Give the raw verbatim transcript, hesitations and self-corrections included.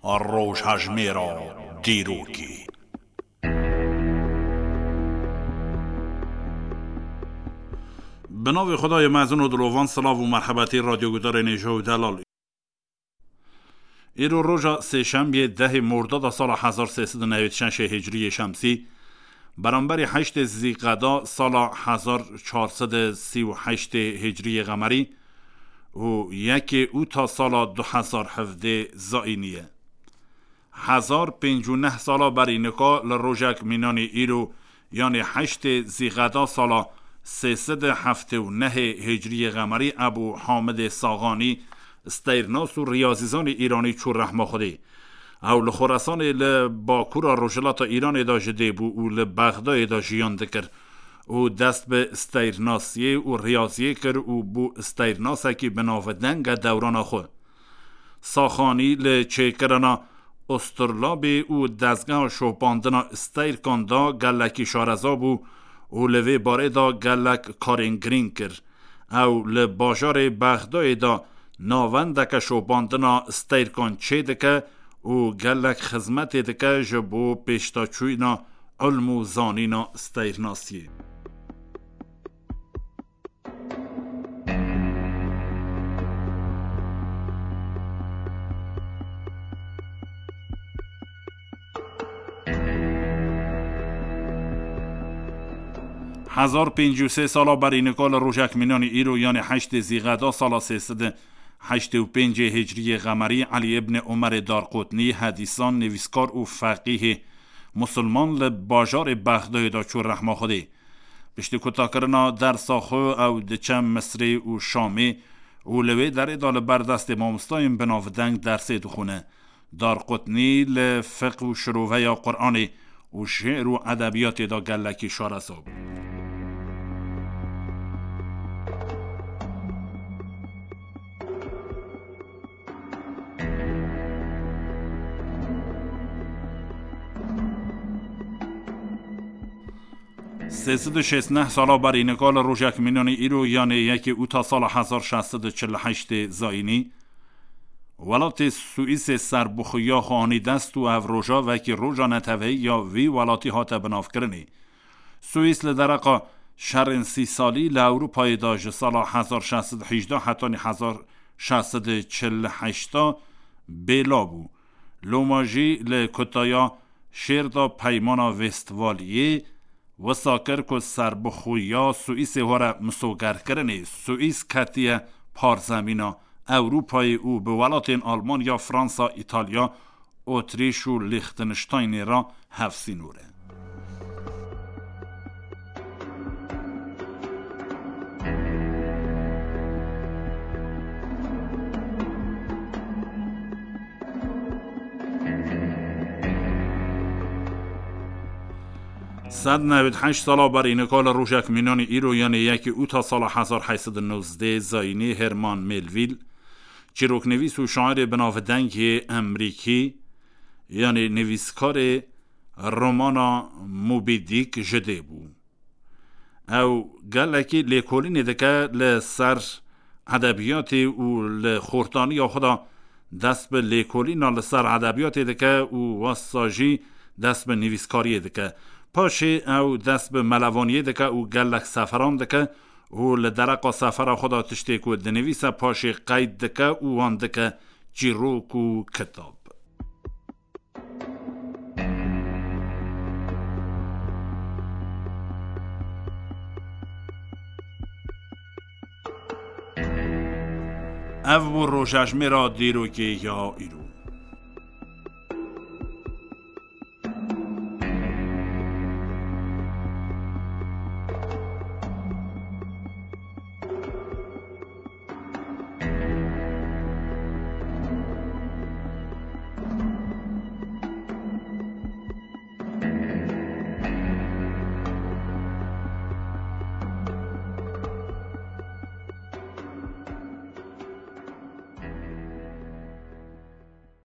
Rojhejmêra dîrokê. Bi navê Xwedayê mezin û dilovan, silav û merhebetî radyogudarên hêja û delal. Îro roja sêşembiyê dehê Mordada sala hezar sê sed û newêd şeşê Hicriyê Şemsî, beramberî heştê Zîqeda sala hezar çar sed û sî û heştê Hicriyê Qemerî û yekê Ûta sala du hezar hevdê Zayînî ye. Hezar pêncî û neh sala berî nika li rojek mînanî îro, yanê heştê Zîqeda sala sê sed û heftê û nehê Hicriyê Qemerî, Ebû Hamidê Saxanî, steyrnas û riyazîzanê îranî çû rehma Xwedê. Ew li Xoresanê li bakura rojhilata Îranê de ji dê bû û li Bexdayê de jiyan dikir û dest bi steyrnasiyê û riyaziyê kir û bû steyrnasekî bi navdeng e dewrana xwe. Saxanî li çêkirina Usturlabê û dezgeha şopandina steyrkan de gelekî şareza bû û li vê barê de gelek karên girîng kir. Ew li bajarê Bexdayê de navendeke şopandina steyrkan çêdike û gelek xizmetê dike ji bo pêşdaçûyîna ilm û zanîna steyrnasiyê. Hezar pêncî û sê sala berî nika li rojek mînanî îro, yanê heştê Zîqeda sala sê sed û heştê û pêncê Hicriyê Qemerî, Elî îbnê Omerê Darqutnî, hedîsan, nivîskar û feqîhê musulman, li bajarê Bexdayê de çû rehma Xwedê. Piştî kutakirina dersa xwe ew diçe Misrê û Şamê û li wê derê de li ber destê mamostayên binavdeng dersê dixwîne. Darqutnî li fiqh û şiroveya Quranê û şi'r û edebiyatê de gelekî şareza bû. Sê sed û şêst neh sala berî nika li rojek mînanî îro, yanê yekê Ûta sala hezar şeş sed û çil û heştê Zayînî, welatê Swîsê serbixweya xwe anî dest û ev roja wekî roja neteweyî ya vî welatî hate binavkirinê. Swîs li dereqa şerên sî salî li Ewropayê de ji sala hezar şeş sed û hejdeh hetanî hezar şeş sed û çil û heşta bêla bû. Loma jî li kutaya şêr de Peymana Westfaliyê wisa kir ku serbixweya Swîsê were misogerkirinê. Swîs ketiye parzemîna Ewropayê û bi welatên Almanya, Fransa, Îtalya, Otrîş û Lîxtenştaynê re hevsînor e. Sed newêd heşt sala berî nika li rojek mînanî îro, yanê yekê Ûta sala hezar heyt sed û nozdeh Zayînî, Herman Melville, çîroknivîs û şairê binavdengê Emrîkî, yanê nivîskarê romana Moby Dick ji dê bû. Ew gelekî lêkolînê dike li ser edebiyatê û li xortaniya xwe de dest bi lêkolîna li ser edebiyatê dike û wasa jî dest bi nivîskariyê dike. Paşê ew dest bi melevaniyê dike û gelek seferan dike û li dereqa sefera xwe de tiştê ku dinivîse paşê qeyd dike û wan dike çîrok û kitab. Ev bû rojejmêra dîrokê ya îro.